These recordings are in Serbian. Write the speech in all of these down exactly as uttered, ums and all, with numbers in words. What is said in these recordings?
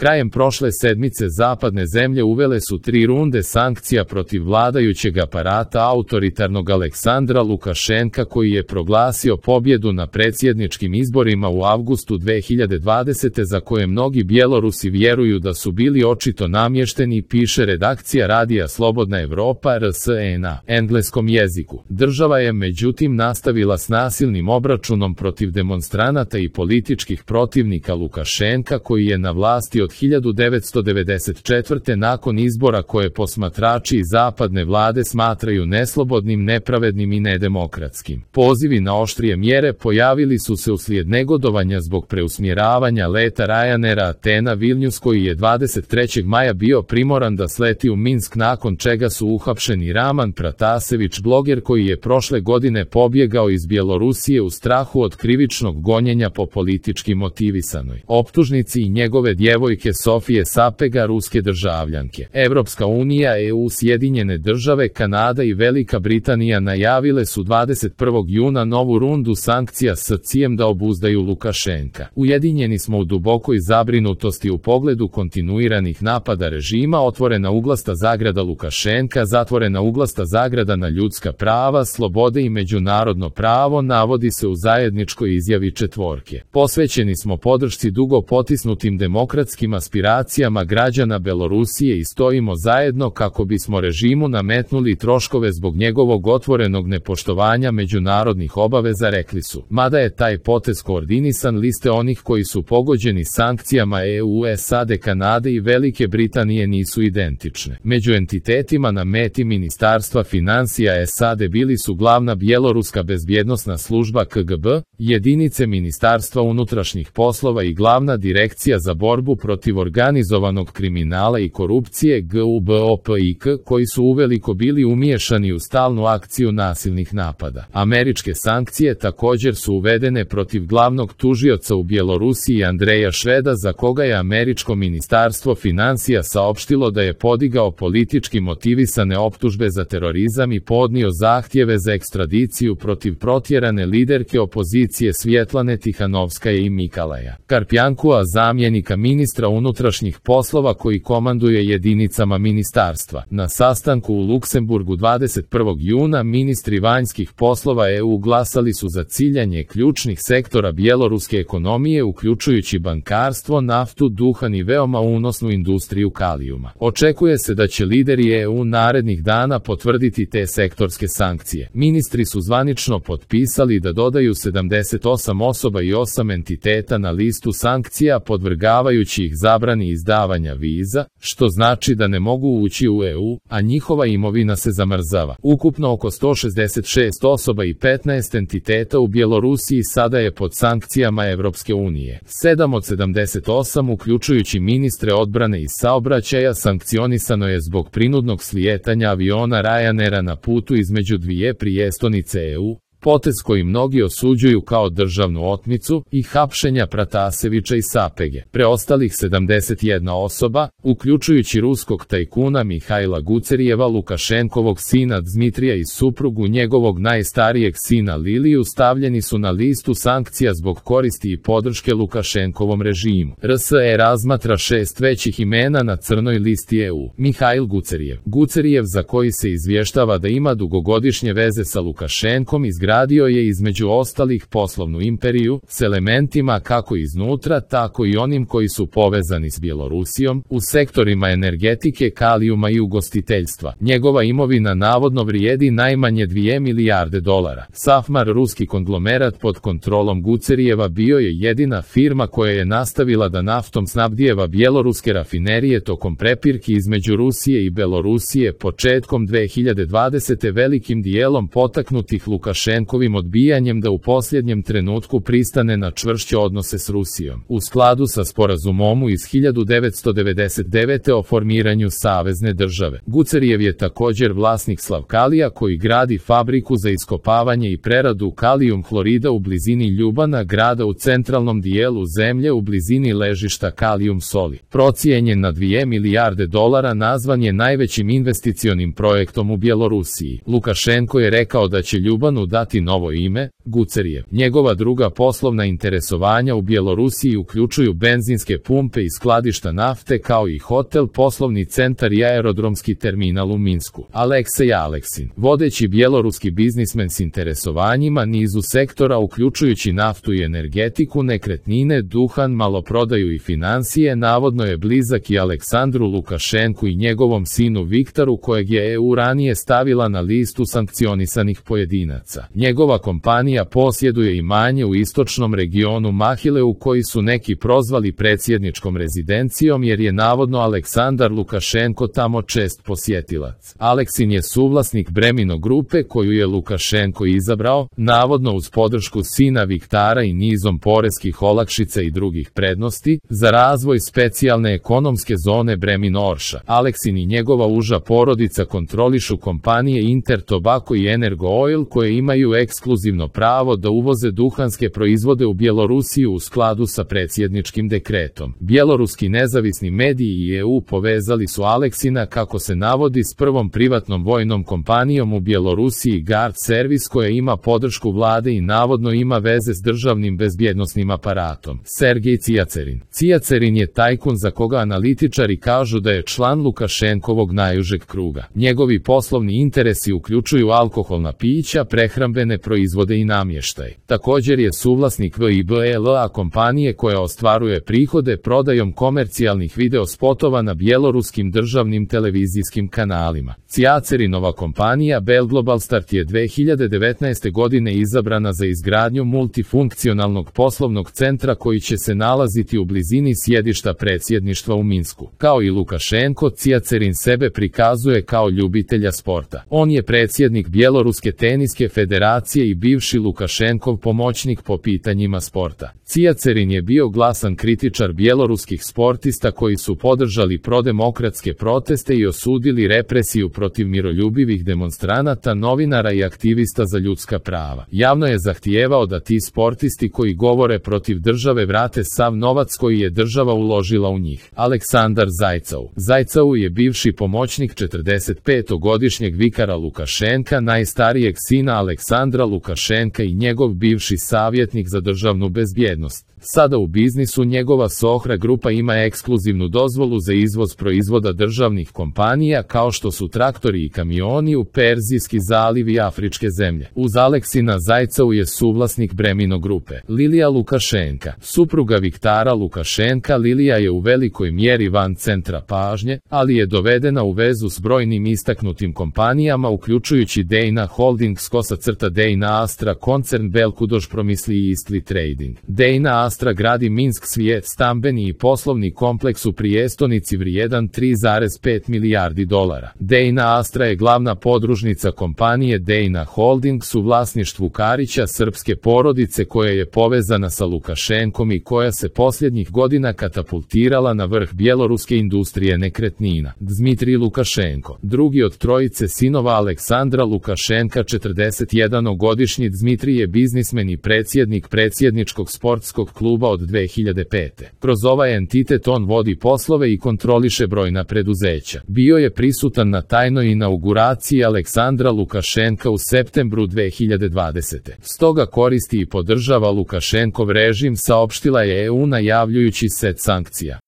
Krajem prošle sedmice zapadne zemlje uvele su tri runde sankcija protiv vladajućeg aparata autoritarnog Aleksandra Lukašenka, koji je proglasio pobjedu na predsjedničkim izborima u avgustu dve hiljade dvadesete za koje mnogi Bjelorusi vjeruju da su bili očito namješteni, piše redakcija radija Slobodna Evropa R S E na engleskom jeziku. Država je međutim nastavila s nasilnim obračunom protiv demonstranata i političkih protivnika Lukašenka, koji je na vlasti od hiljadu devetsto devedeset četvrte nakon izbora koje posmatrači iz zapadne vlade smatraju neslobodnim, nepravednim i nedemokratskim. Pozivi na oštrije mjere pojavili su se uslijed negodovanja zbog preusmjeravanja leta Ryanaira Atena Vilnius, koji je dvadeset trećeg maja bio primoran da sleti u Minsk, nakon čega su uhapšeni Raman Pratasević, bloger koji je prošle godine pobjegao iz Bjelorusije u strahu od krivičnog gonjenja po politički motivisanoj optužnici, i njegove djevojke Sofije Sapega, ruske državljanke. Evropska unija, E U, Sjedinjene države, Kanada i Velika Britanija najavile su dvadeset prvog juna novu rundu sankcija s ciljem da obuzdaju Lukašenka. Ujedinjeni smo u dubokoj zabrinutosti u pogledu kontinuiranih napada režima, otvorena uglasta zagrada Lukašenka, zatvorena uglasta zagrada na ljudska prava, slobode i međunarodno pravo, navodi se u zajedničkoj izjavi četvorke. Posvećeni smo podršci dugo potisnutim demokratskim aspiracijama građana Belorusije i stojimo zajedno kako bismo režimu nametnuli troškove zbog njegovog otvorenog nepoštovanja međunarodnih obaveza, rekli su. Mada je taj potez koordinisan, liste onih koji su pogođeni sankcijama E U, S A D, Kanade i Velike Britanije nisu identične. Među entitetima na meti Ministarstva financija S A D bili su glavna bjeloruska bezbjednosna služba K G B, jedinice Ministarstva unutrašnjih poslova i glavna direkcija za borbu protiv organizovanog kriminala i korupcije G U B O P I K, koji su uveliko bili umiješani u stalnu akciju nasilnih napada. Američke sankcije također su uvedene protiv glavnog tužioca u Bjelorusiji Andreja Šveda, za koga je američko ministarstvo financija saopštilo da je podigao politički motivisane optužbe za terorizam i podnio zahtjeve za ekstradiciju protiv protjerane liderke opozicije Svjetlane Tihanovskaje i Mikalaja Karpjankua, zamjenika ministra unutrašnjih poslova koji komanduje jedinicama ministarstva. Na sastanku u Luksemburgu dvadeset prvog juna ministri vanjskih poslova E U glasali su za ciljanje ključnih sektora bjeloruske ekonomije, uključujući bankarstvo, naftu, duhan i veoma unosnu industriju kalijuma. Očekuje se da će lideri E U narednih dana potvrditi te sektorske sankcije. Ministri su zvanično potpisali da dodaju sedamdeset osam osoba i osam entiteta na listu sankcija, podvrgavajući ih zabrani izdavanja viza, što znači da ne mogu ući u E U, a njihova imovina se zamrzava. Ukupno oko sto šezdeset šest osoba i petnaest entiteta u Bjelorusiji sada je pod sankcijama Evropske unije. sedam od sedamdeset osam, uključujući ministre odbrane i saobraćaja, sankcionisano je zbog prinudnog slijetanja aviona Ryanaira na putu između dvije prijestolnice E U, potez koji mnogi osuđuju kao državnu otmicu, i hapšenja Pratasevića i Sapege. Preostalih sedamdeset jedna osoba, uključujući ruskog tajkuna Mihajla Gucerijeva, Lukašenkovog sina Dmitrija i suprugu njegovog najstarijeg sina Liliju, stavljeni su na listu sankcija zbog koristi i podrške Lukašenkovom režimu. R S E razmatra šest većih imena na crnoj listi E U. Mihajl Gucerijev. Gucerijev, za koji se izvještava da ima dugogodišnje veze sa Lukašenkom, izgradio Radio je između ostalih poslovnu imperiju, s elementima kako iznutra, tako i onim koji su povezani s Bjelorusijom, u sektorima energetike, kalijuma i ugostiteljstva. Njegova imovina navodno vrijedi najmanje dvije milijarde dolara. Safmar, ruski konglomerat pod kontrolom Gucerijeva, bio je jedina firma koja je nastavila da naftom snabdijeva bjeloruske rafinerije tokom prepirki između Rusije i Belorusije početkom dve hiljade dvadesete velikim dijelom potaknutih Lukašenkovim odbijanjem da u posljednjem trenutku pristane na čvršće odnose s Rusijom. U skladu sa sporazumom iz hiljadu devetsto devedeset devete o formiranju savezne države. Gucerijev je također vlasnik Slavkalija, koji gradi fabriku za iskopavanje i preradu kalijum hlorida u blizini Ljubana, grada u centralnom dijelu zemlje u blizini ležišta kalijum soli. Procijenjen na dvije milijarde dolara, nazvan je najvećim investicionim projektom u Bjelorusiji. Lukašenko je rekao da će Ljubanu dati dati novo ime, Gucerijev. Njegova druga poslovna interesovanja u Bjelorusiji uključuju benzinske pumpe i skladišta nafte kao i hotel, poslovni centar i aerodromski terminal u Minsku. Aleksej Aleksin, vodeći bjeloruski biznismen s interesovanjima nizu sektora uključujući naftu i energetiku, nekretnine, duhan, maloprodaju i financije, navodno je blizak i Aleksandru Lukašenku i njegovom sinu Viktoru, kojeg je E U ranije stavila na listu sankcionisanih pojedinaca. Njegova kompanija posjeduje imanje u istočnom regionu Mahileu koji su neki prozvali predsjedničkom rezidencijom jer je navodno Aleksandar Lukašenko tamo čest posjetilac. Aleksin je suvlasnik Bremino grupe koju je Lukašenko izabrao, navodno uz podršku sina Viktara i nizom poreskih olakšica i drugih prednosti, za razvoj specijalne ekonomske zone Bremino Orša. Aleksin i njegova uža porodica kontrolišu kompanije Inter Tobacco i Energo Oil koje imaju ekskluzivno pravo da uvoze duhanske proizvode u Bjelorusiju u skladu sa predsjedničkim dekretom. Bjeloruski nezavisni mediji i E U povezali su Aleksina, kako se navodi, s prvom privatnom vojnom kompanijom u Bjelorusiji Guard Service koja ima podršku vlade i navodno ima veze s državnim bezbjednosnim aparatom. Sergej Cijacerin. Cijacerin je tajkun za koga analitičari kažu da je član Lukašenkovog najužeg kruga. Njegovi poslovni interesi uključuju alkoholna pića, prehrambene proizvode i namještaj. Također je suvlasnik V I B L A kompanije koja ostvaruje prihode prodajom komercijalnih videospotova na bjeloruskim državnim televizijskim kanalima. Cijacerinova kompanija Belglobalstart je dve hiljade devetnaeste. godine izabrana za izgradnju multifunkcionalnog poslovnog centra koji će se nalaziti u blizini sjedišta predsjedništva u Minsku. Kao i Lukašenko, Cijacerin sebe prikazuje kao ljubitelja sporta. On je predsjednik Bjeloruske teniske federacije i bivši Lukašenkov pomoćnik po pitanjima sporta. Cijacerin je bio glasan kritičar bjeloruskih sportista koji su podržali prodemokratske proteste i osudili represiju protiv miroljubivih demonstranata, novinara i aktivista za ljudska prava. Javno je zahtijevao da ti sportisti koji govore protiv države vrate sav novac koji je država uložila u njih. Aleksandar Zajcov. Zajcov je bivši pomoćnik četrdesetpetogodišnjeg vikara Lukašenka, najstarijeg sina Aleksandra Lukašenka i njegov bivši savjetnik za državnu bezbjednost. Sada u biznisu njegova Sohra grupa ima ekskluzivnu dozvolu za izvoz proizvoda državnih kompanija kao što su traktori i kamioni u Perzijski zaliv i afričke zemlje. Uz Aleksina Zajcov je suvlasnik Bremino grupe. Lilija Lukašenka. Supruga Viktara Lukašenka, Lilija je u velikoj mjeri van centra pažnje, ali je dovedena u vezu s brojnim istaknutim kompanijama uključujući Dejna Holdings, kosa crta Dejna Astra, koncern Belkudoš Promisli i Istli Trading. Dejna Astra gradi Minsk svijet stambeni i poslovni kompleks u prijestolnici vrijedan tri zarez pet milijardi dolara. Dejna Astra je glavna podružnica kompanije Dejna Holdings u vlasništvu Karića, srpske porodice koja je povezana sa Lukašenkom i koja se posljednjih godina katapultirala na vrh bjeloruske industrije nekretnina. Dmitrij Lukašenko. Drugi od trojice sinova Aleksandra Lukašenka, četrdesetjednogodišnji Dmitrij je biznismen i predsjednik predsjedničkog sportskog kluba od dve hiljade pete. Kroz ovaj entitet on vodi poslove i kontroliše brojna preduzeća. Bio je prisutan na tajnoj inauguraciji Aleksandra Lukašenka u septembru dve hiljade dvadesete. Stoga koristi i podržava Lukašenkov režim, saopštila je E U najavljujući set sankcija.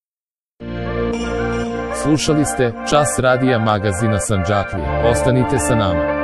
Slušali ste Čas radija magazina Sandžaklije. Ostanite sa nama.